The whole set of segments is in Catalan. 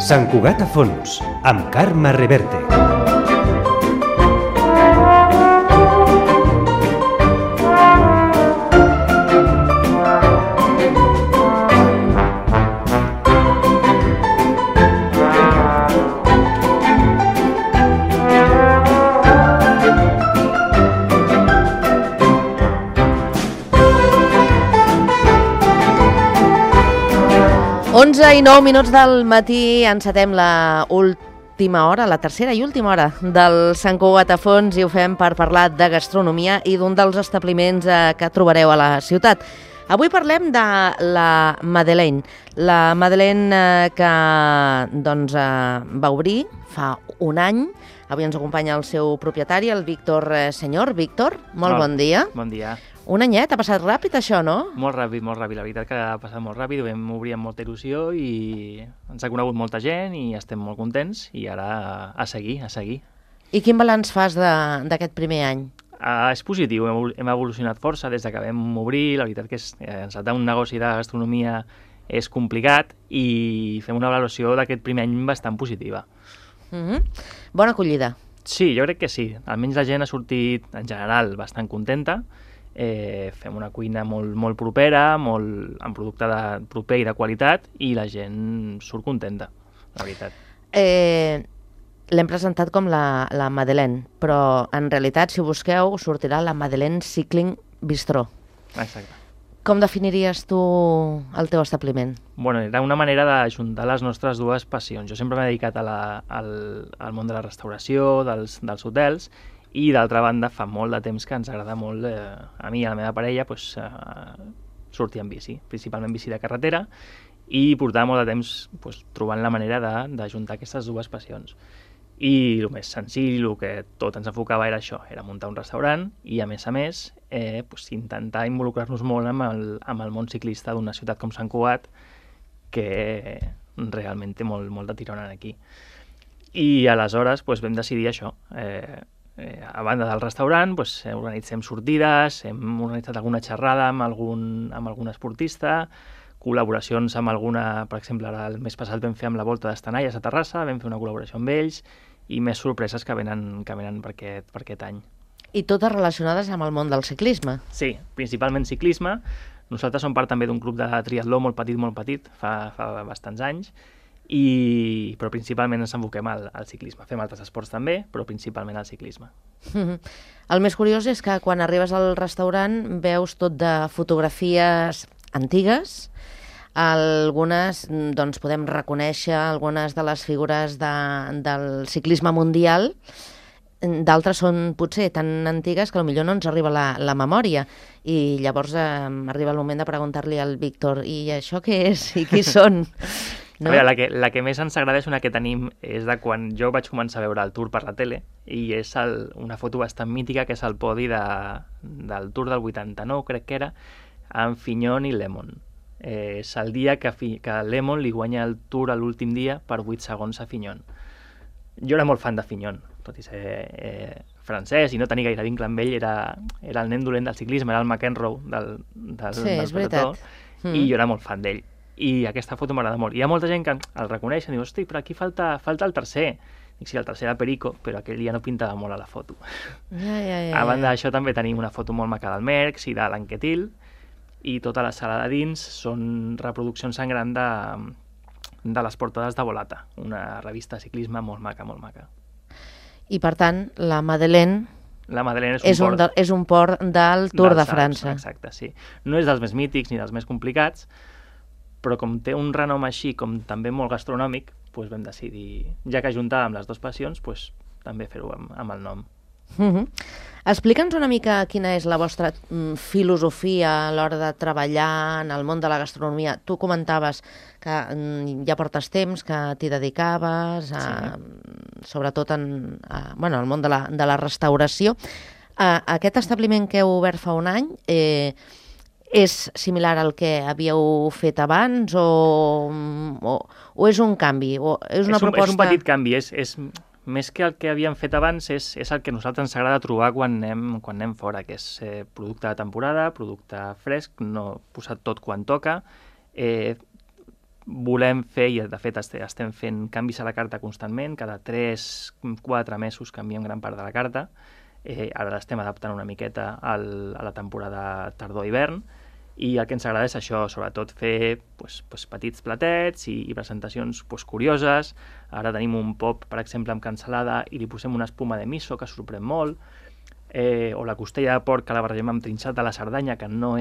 Sant Cugat a fons, amb Carme Reverte. I 9 minuts del matí, encetem la última hora, la tercera i última hora del Sant Cugat a fons, i ho fem per parlar de gastronomia i d'un dels establiments que trobareu a la ciutat. Avui parlem de la Madeleine. La Madeleine que va obrir fa un any. Avui ens acompanya el seu propietari, el Víctor Senyor. Víctor, molt bon dia. Bon dia. Un anyet, ha passat ràpid això, no? Molt ràpid. La veritat que ha passat molt ràpid, ho vam obrir amb molta il·lusió i ens ha conegut molta gent i estem molt contents i ara a seguir. I quin balanç fas d'aquest primer any? És positiu, hem evolucionat força des que vam obrir. La veritat que encetar un negoci de gastronomia és complicat i fem una valoració d'aquest primer any bastant positiva. Bona acollida. Sí, jo crec que sí. Almenys la gent ha sortit, en general, bastant contenta. Fem una cuina molt propera, amb producte proper i de qualitat, i la gent surt contenta, la veritat. L'hem presentat com la Madeleine, però en realitat, si ho busqueu, sortirà la Madeleine Cycling Bistró. Exacte. Com definiries tu el teu establiment? Bueno, era una manera d'ajuntar les nostres dues passions. Jo sempre m'he dedicat al món de la restauració, dels hotels, i d'altra banda fa molt de temps que ens agrada molt, a mi i a la meva parella, sortir en bici, principalment bici de carretera, i portar molt de temps trobant la manera d'ajuntar aquestes dues passions. I el més senzill, el que tot ens enfocava era això, era muntar un restaurant i a més intentar involucrar-nos molt amb el món ciclista d'una ciutat com Sant Cugat, que realment té molt de tirón aquí. I aleshores vam decidir això. A banda del restaurant, organitzem sortides, hem organitzat alguna xerrada amb algun esportista, col·laboracions amb alguna, per exemple, ara el mes passat vam fer amb la Volta d'Estanalles a Terrassa, vam fer una col·laboració amb ells, i més sorpreses que venen per aquest any. I totes relacionades amb el món del ciclisme? Sí, principalment ciclisme. Nosaltres som part també d'un club de triatló molt petit, fa bastants anys, però principalment ens enfoquem al ciclisme. Fem altres esports també, però principalment al ciclisme. El més curiós és que quan arribes al restaurant veus tot de fotografies antigues. Algunes podem reconèixer algunes de les figures del ciclisme mundial, d'altres són potser tan antigues que potser no ens arriba la memòria, i llavors arriba el moment de preguntar-li al Víctor, i això què és i qui són? No? A veure, la que més ens agrada és una que tenim, és de quan jo vaig començar a veure el Tour per la tele, i és una foto bastant mítica, que és el podi del Tour del 89, crec que era, amb Fignon i Lemon. És el dia que Lemon li guanya el Tour a l'últim dia per 8 segons a Fignon. Jo era molt fan de Fignon, tot i ser francès i no tenir gaire vincle amb ell, era el nen dolent del ciclisme, era el McEnroe del és veritat. I jo era molt fan d'ell. I aquesta foto m'agrada molt. Hi ha molta gent que el reconeix i diu, hosti, però aquí falta el tercer. Dic, sí, el tercer era Perico, però aquell ja no pintava molt a la foto. A banda d'això també tenim una foto molt maca del Merckx i de l'Anquetil, i tota la sala de dins són reproduccions en gran de les portades de Volata, una revista de ciclisme molt maca. I per tant, la Madeleine és un port del Tour de França. Exacte, sí. No és dels més mítics ni dels més complicats, però com té un renom així, com també molt gastronòmic, vam decidir, ja que ajuntàvem les dues passions, també fer-ho amb el nom. Explica'ns una mica quina és la vostra filosofia a l'hora de treballar en el món de la gastronomia. Tu comentaves que ja portes temps que t'hi dedicaves, sobretot en el món de la restauració. Aquest establiment que heu obert fa un any és similar al que havíeu fet abans o és un canvi? És un petit canvi, és més que el que havíem fet abans, és el que a nosaltres ens agrada trobar quan anem fora, que és producte de temporada, producte fresc, no posat tot quan toca, volem fer, i de fet estem fent canvis a la carta constantment, cada 3-4 mesos canviem gran part de la carta. Ara l'estem adaptant una miqueta a la temporada tardor-hivern, i el que ens agrada és això, sobretot fer petits platets i presentacions curioses. Ara tenim un pop, per exemple, amb cansalada i li posem una espuma de miso que sorprèn molt, o la costella de porc que la barregem amb trinxat de la Cerdanya, que no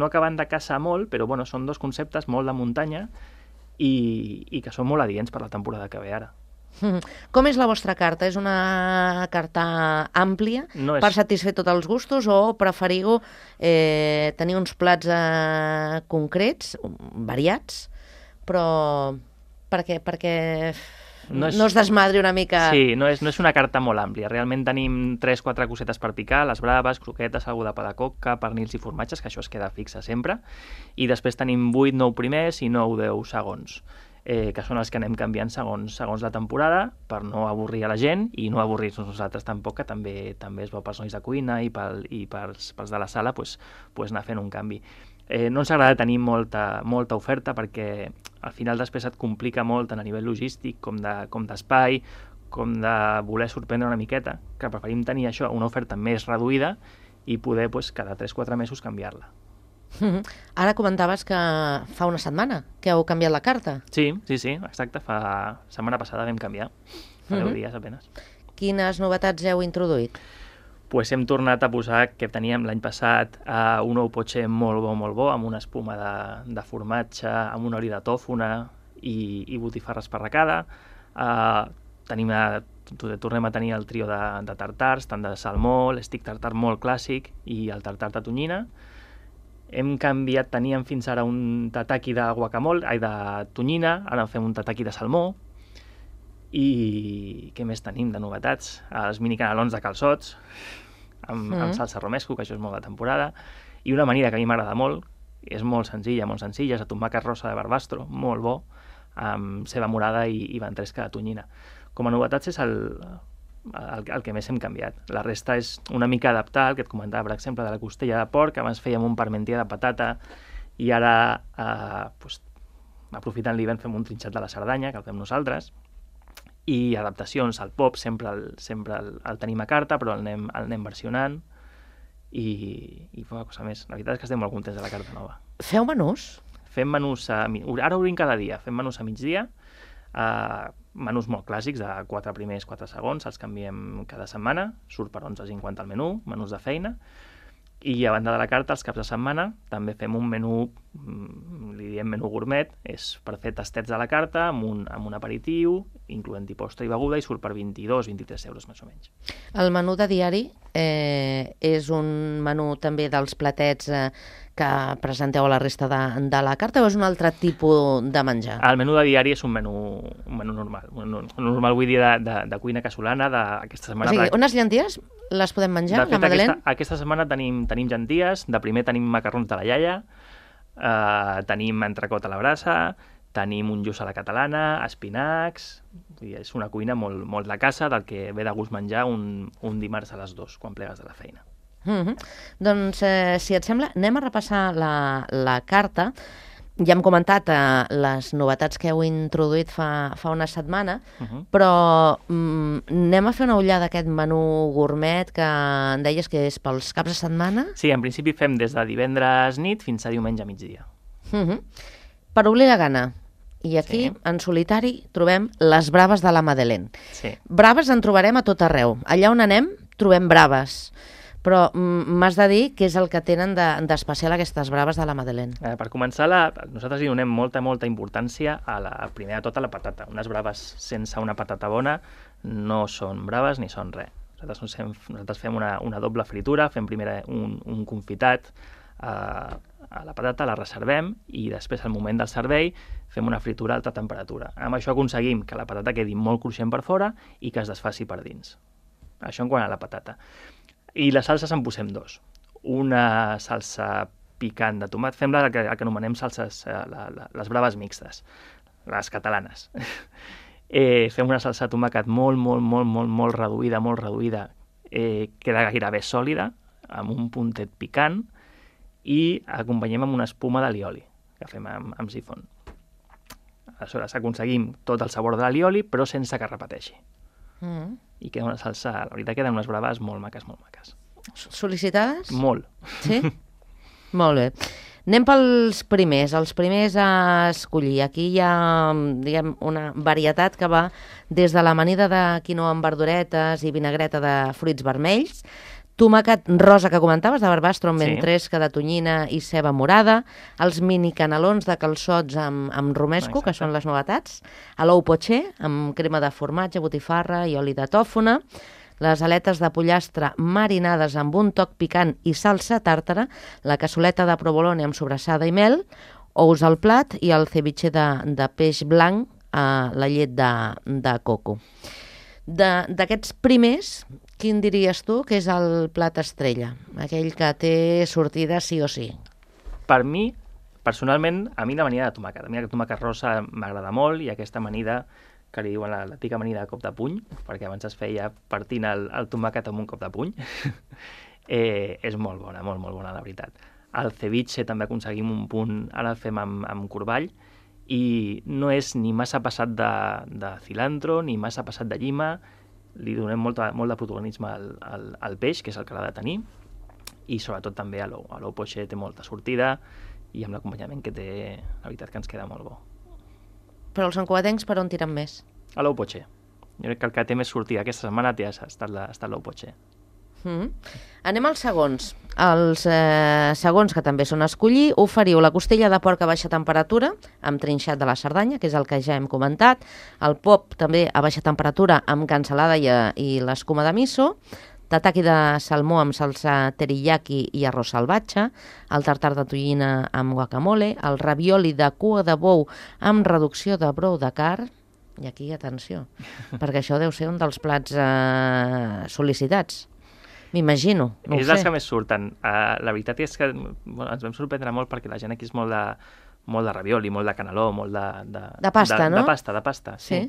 acaben de casar molt, però bueno, són dos conceptes molt de muntanya i que són molt adients per la temporada que ve ara. Com és la vostra carta? És una carta àmplia per satisfer tots els gustos o preferiu tenir uns plats concrets, variats, però perquè no es desmadri una mica... Sí, no és una carta molt àmplia. Realment tenim 3-4 cosetes per picar, les braves, croquetes, algú de pa de coca, pernils i formatges, que això es queda fixe sempre, i després tenim 8-9 primers i 9-10 segons, que són els que anem canviant segons la temporada, per no avorrir a la gent i no avorrir-nos nosaltres tampoc, que també és bo pels nois de cuina i pels de la sala anar fent un canvi. No ens agrada tenir molta oferta perquè al final després et complica molt tant a nivell logístic com d'espai, com de voler sorprendre una miqueta, que preferim tenir això, una oferta més reduïda i poder cada 3-4 mesos canviar-la. Ara comentaves que fa una setmana que heu canviat la carta. Sí, exacte. Setmana passada vam canviar, fa 10 dies apenas. Quines novetats heu introduït? Pues hem tornat a posar, que teníem l'any passat, un ou potxer molt bo, amb una espuma de formatge, amb un oli de tòfona i botifarra esparracada. Tornem a tenir el trio de tartars, tant de salmó, l'estic tartar molt clàssic i el tartar de tonyina. Hem canviat, teníem fins ara un tataki de tonyina, ara fem un tataki de salmó. I què més tenim de novetats? Els mini canelons de calçots, amb salsa romesco, que això és molt de temporada, i una amanida que a mi m'agrada molt, és molt senzilla, és de tomàquet rosa de barbastro, molt bo, amb ceba morada i ventresca de tonyina. Com a novetats és el que més hem canviat. La resta és una mica adaptar, el que et comentava, per exemple, de la costella de porc, que abans fèiem un parmentier de patata i ara, aprofitant l'hivern, fem un trinxat de la Cerdanya, que el fem nosaltres, i adaptacions al pop, sempre el tenim a carta, però el anem versionant i poca cosa més. La veritat és que estem molt contents de la carta nova. Feu menús? Fem menús, ara obrim cada dia, fem menús a migdia, menús molt clàssics, de 4 primers, 4 segons, els canviem cada setmana, surt per 11,50 el menú, menús de feina, i a banda de la carta, els caps de setmana, també fem un menú, li diem menú gourmet, és per fer tastets de la carta, amb un aperitiu, incloent-hi postre i beguda, i surt per 22-23 euros més o menys. El menú de diari és un menú també dels platets que presenteu a la resta de la carta, o és un altre tipus de menjar? El menú de diari és un menú normal. Normal vull dir de cuina casolana d'aquesta setmana. O sigui, unes llenties les podem menjar, de fet, la Madeleine? Aquesta setmana tenim llenties, de primer tenim macarrons de la iaia, tenim entrecot a la brasa, tenim un lluç a la catalana, espinacs... És una cuina molt de casa, del que ve de gust menjar un dimarts a les 2, quan plegues de la feina. Doncs, si et sembla, anem a repassar la carta. Ja hem comentat les novetats que heu introduït fa una setmana, però anem a fer una ullada d'aquest menú gourmet que em deies que és pels caps de setmana? Sí, en principi fem des de divendres nit fins a diumenge a migdia. Per obrir la gana. I aquí, en solitari, trobem les braves de la Madeleine. Sí. Braves en trobarem a tot arreu. Allà on anem, trobem braves. Però m'has de dir què és el que tenen d'especial aquestes braves de la Madeleine. Per començar, nosaltres li donem molta importància primer de tot a la patata. Unes braves sense una patata bona no són braves ni són res. Nosaltres fem una doble fritura, fem primer un confitat a la patata, la reservem i després, al moment del servei, fem una fritura a alta temperatura. Amb això aconseguim que la patata quedi molt cruixent per fora i que es desfaci per dins. Això en quant a la patata. I les salses en posem 2. Una salsa picant de tomat, fem el que anomenem salses, les braves mixtes, les catalanes. Fem una salsa de tomàquet molt reduïda, queda gairebé sòlida, amb un puntet picant, i acompanyem amb una espuma d'alioli, que fem amb sifon. Aleshores aconseguim tot el sabor de l'alioli, però sense que es repeteixi. Mm. I queda una salsa, la veritat, queden unes braves molt maques, molt maques. Sol·licitades? Molt. Sí? Molt bé. Anem pels primers, els primers a escollir. Aquí hi ha, diguem, una varietat que va des de l'amanida de quinoa amb verduretes i vinagreta de fruits vermells, tomàquet rosa que comentaves, de barbastro amb ventresca de tonyina i ceba morada, els mini canelons de calçots amb romesco, que són les novetats, a l'ou poché, amb crema de formatge, botifarra i oli de tòfona, les aletes de pollastre marinades amb un toc picant i salsa tàrtara, la cassoleta de provolone amb sobrassada i mel, ous al plat i el ceviche de peix blanc a la llet de coco. D'aquests primers, quin diries tu que és el plat estrella? Aquell que té sortida sí o sí. Per mi, personalment, a mi l'amanida de tomàquet. A mi el tomàquet rosa m'agrada molt i aquesta amanida que li diuen l'antiga amanida de cop de puny, perquè abans es feia partint el tomàquet amb un cop de puny, és molt bona, molt, molt bona, la veritat. El ceviche també aconseguim un punt, ara el fem amb corball, i no és ni massa passat de cilantro, ni massa passat de llima, li donem molt de protagonisme al peix, que és el que l'ha de tenir, i sobretot també a l'ou. A l'ou poché té molta sortida, i amb l'acompanyament que té, la veritat que ens queda molt bo. Però els santcugatencs per on tiren més? A l'ou poché. Jo crec que el que té més sortida aquesta setmana ha estat l'ou poché. Anem als segons. Els segons, que també són a escollir, oferiu la costella de porc a baixa temperatura amb trinxat de la Cerdanya, que és el que ja hem comentat, el pop també a baixa temperatura amb cansalada i l'escuma de miso, tataki de salmó amb salsa teriyaki i arròs salvatge, el tartar de tonyina amb guacamole, el ravioli de cua de bou amb reducció de brou de carn, i aquí, atenció, perquè això deu ser un dels plats sol·licitats. M'imagino, no ho sé. És dels que més surten. La veritat és que ens vam sorprendre molt perquè la gent aquí és molt de ravioli, molt de caneló, molt de pasta, no? De pasta, sí.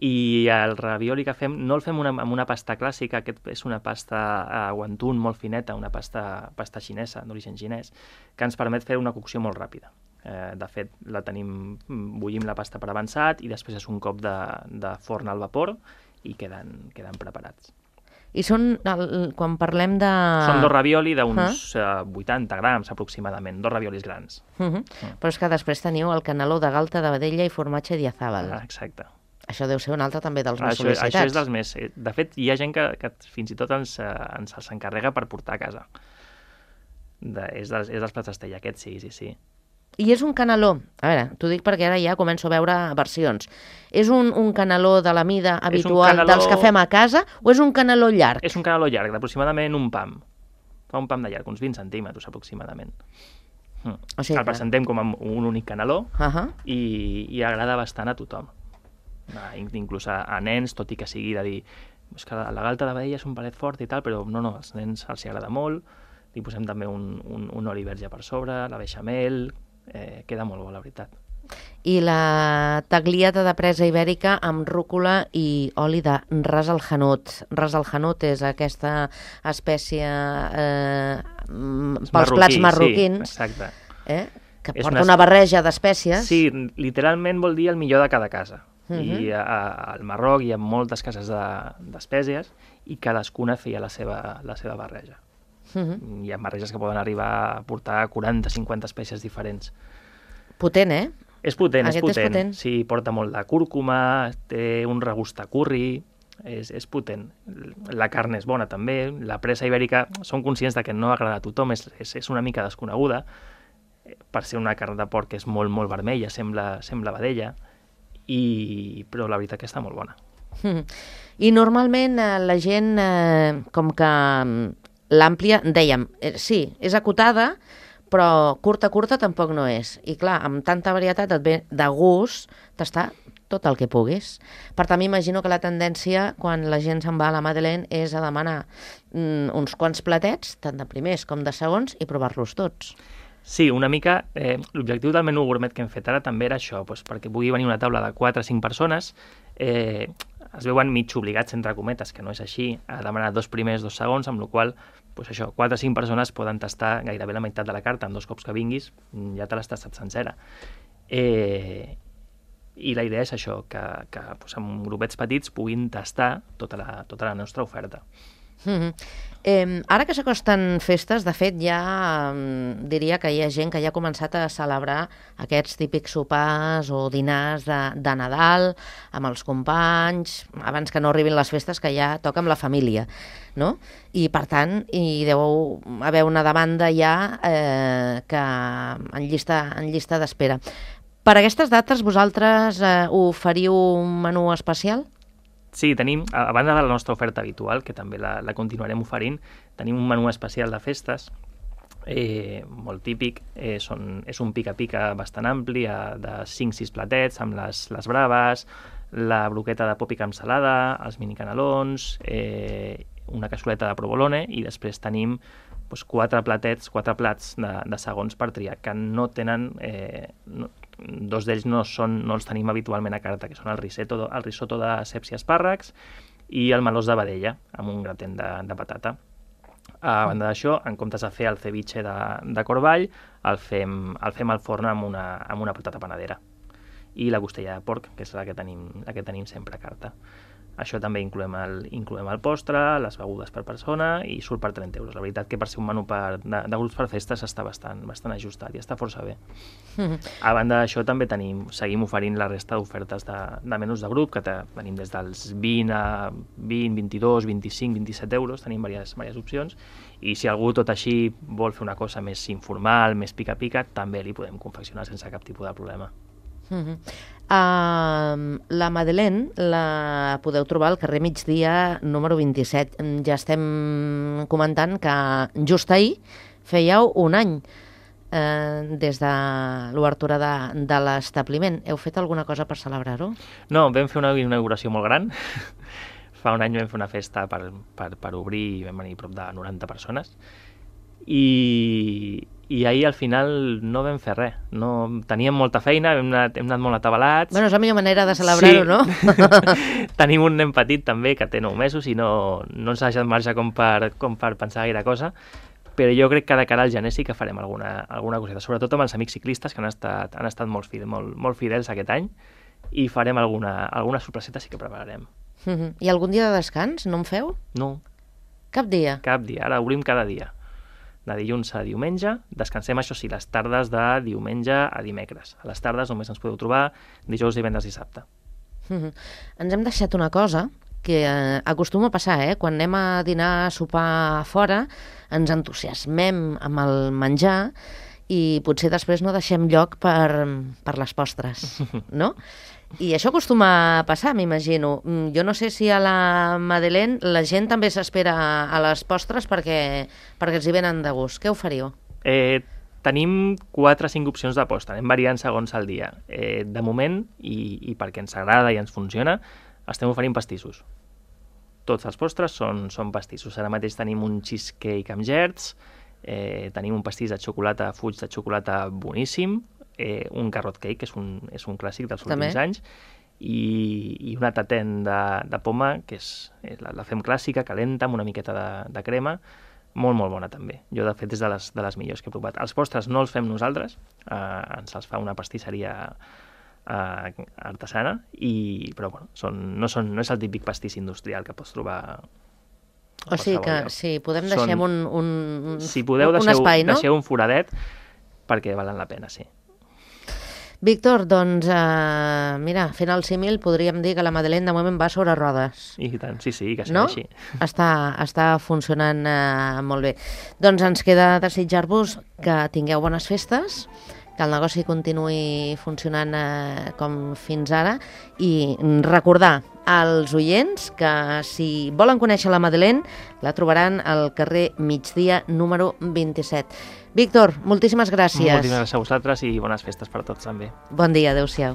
I el ravioli que fem, no el fem amb una pasta clàssica, aquest és una pasta wonton molt fineta, una pasta xinesa, d'origen xinès, que ens permet fer una cocció molt ràpida. De fet, bullim la pasta per avançat i després és un cop de forn al vapor i queden preparats. I són, quan parlem de... Són dos ravioli d'uns 80 grams aproximadament, dos raviolis grans. Però és que després teniu el caneló de galta de vedella i formatge diazàbal. Exacte. Això deu ser un altre també dels més sol·licitats. Això és dels més... De fet, hi ha gent que fins i tot ens encarrega per portar a casa. És dels plats estrella, aquest sí. I és un caneló, a veure, t'ho dic perquè ara ja començo a veure versions. És un caneló de la mida habitual dels que fem a casa o és un caneló llarg? És un caneló llarg, d'aproximadament un pam. Fa un pam de llarg, uns 20 centímetres aproximadament. O sigui, el presentem com un únic caneló i agrada bastant a tothom. Inclús a nens, tot i que sigui de dir que la galta de vedella és un palet fort i tal, però no, als nens els agrada molt. Li posem també un oli verge per sobre, la beixamel... queda molt bo, la veritat. I la tagliata de presa ibèrica amb rúcula i oli de ras al hanout. Ras al hanout és aquesta espècie pels plats marroquins, que porta una barreja d'espècies. Sí, literalment vol dir el millor de cada casa. I al Marroc hi ha moltes cases d'espècies i cadascuna feia la seva barreja. Hi ha barreges que poden arribar a portar 40-50 espècies diferents. Potent, eh? És potent. Sí, porta molt de cúrcuma, té un regust de curri, és potent. La carn és bona també, la presa ibèrica, som conscients que no agrada a tothom, és una mica desconeguda, per ser una carn de porc que és molt, molt vermella, sembla vedella, però la veritat que està molt bona. I normalment la gent, com que l'àmplia, dèiem, sí, és acotada, però curta tampoc no és. I clar, amb tanta varietat et ve de gust tastar tot el que puguis. Per tant, m'imagino que la tendència, quan la gent se'n va a la Madeleine, és a demanar uns quants platets, tant de primers com de segons, i provar-los tots. Sí, una mica. L'objectiu del menú gourmet que hem fet ara també era això, perquè pugui venir una taula de 4 o 5 persones, es veuen mig obligats, entre cometes, que no és així, a demanar 2 primers, 2 segons, amb la qual cosa, 4 o 5 persones poden tastar gairebé la meitat de la carta, en 2 cops que vinguis, ja te l'has tastat sencera. I la idea és això, que doncs, amb grupets petits puguin tastar tota la nostra oferta. Ara que s'acosten festes, de fet ja diria que hi ha gent que ja ha començat a celebrar aquests típics sopars o dinars de Nadal amb els companys, abans que no arribin les festes, que ja toca amb la família, no? I per tant hi deu haver una demanda ja que en llista d'espera. Per aquestes dates vosaltres oferiu un menú especial? Sí, tenim, a banda de la nostra oferta habitual, que també la continuarem oferint, tenim un menú especial de festes, molt típic, és un pica-pica bastant ampli, de 5-6 platets, amb les braves, la broqueta de pòpica amb salada, els mini canelons, una cassoleta de provolone, i després tenim 4 plats de segons per triar, que no tenen... Dos d'ells no els tenim habitualment a carta, que són el risotto de ceps i espàrrecs i el melós de vedella, amb un gratent de patata. A banda d'això, en comptes de fer el ceviche de corball, el fem al forn amb una patata panadera. I la costella de porc, que és la que tenim sempre a carta. Això també incloem el postre, les begudes per persona, i surt per 30 euros. La veritat que per ser un menú de grups per festes està bastant ajustat i està força bé. A banda d'això també seguim oferint la resta d'ofertes de menús de grup, que tenim des dels 20 a 20, 22, 25, 27 euros, tenim diverses opcions, i si algú tot així vol fer una cosa més informal, més pica-pica, també li podem confeccionar sense cap tipus de problema. La Madeleine la podeu trobar al carrer Migdia número 27. Ja estem comentant que just ahir fèieu un any des de l'obertura de l'establiment. Heu fet alguna cosa per celebrar-ho? No, vam fer una inauguració molt gran. Fa un any vam fer una festa per obrir i vam venir prop de 90 persones. I ahir al final no vam fer res. Teníem molta feina, hem anat molt atabalats. Bueno, és la millor manera de celebrar-ho, no? Tenim un nen petit també que té 9 mesos i no ens ha deixat marge com per pensar gaire cosa, però jo crec que de cara al gener sí que farem alguna coseta, sobretot amb els amics ciclistes que han estat molt fidels aquest any, i farem alguna sorpreseta sí que prepararem. I algun dia de descans no en feu? No. Cap dia? Cap dia, ara obrim cada dia. De dilluns a diumenge, descansem, això sí, les tardes de diumenge a dimecres. A les tardes només ens podeu trobar dijous, divendres i dissabte. Ens hem deixat una cosa que acostuma a passar, quan anem a dinar, a sopar fora, ens entusiasmem amb el menjar i potser després no deixem lloc per les postres, no? I això acostuma a passar, m'imagino. Jo no sé si a la Madeleine la gent també s'espera a les postres perquè els hi venen de gust. Què oferiu? Tenim 4 o 5 opcions de postre, anem variant segons el dia. De moment, i perquè ens agrada i ens funciona, estem oferint pastissos. Tots els postres són pastissos. Ara mateix tenim un cheesecake amb gerds, tenim un pastís de xocolata, fuig de xocolata boníssim, un carrot cake, que és un clàssic dels últims anys, i una tatent de poma, que la fem clàssica, calenta, amb una miqueta de crema, molt, molt bona també. Jo, de fet, és de les millors que he provat. Els postres no els fem nosaltres, ens els fa una pastisseria artesana, però bueno, no és el típic pastís industrial que pots trobar. O sigui que si podem deixem un espai, no? Deixeu un foradet perquè valen la pena, sí. Víctor, doncs, mira, fent el símil podríem dir que la Madeleine de moment va sobre rodes. I tant, sí, que sigui així. Està funcionant molt bé. Doncs ens queda desitjar-vos que tingueu bones festes, que el negoci continuï funcionant com fins ara, i recordar als oients que si volen conèixer la Madeleine la trobaran al carrer Migdia número 27. Víctor, moltíssimes gràcies. Moltíssimes gràcies a vosaltres i bones festes per tots també. Bon dia, adeu-siau.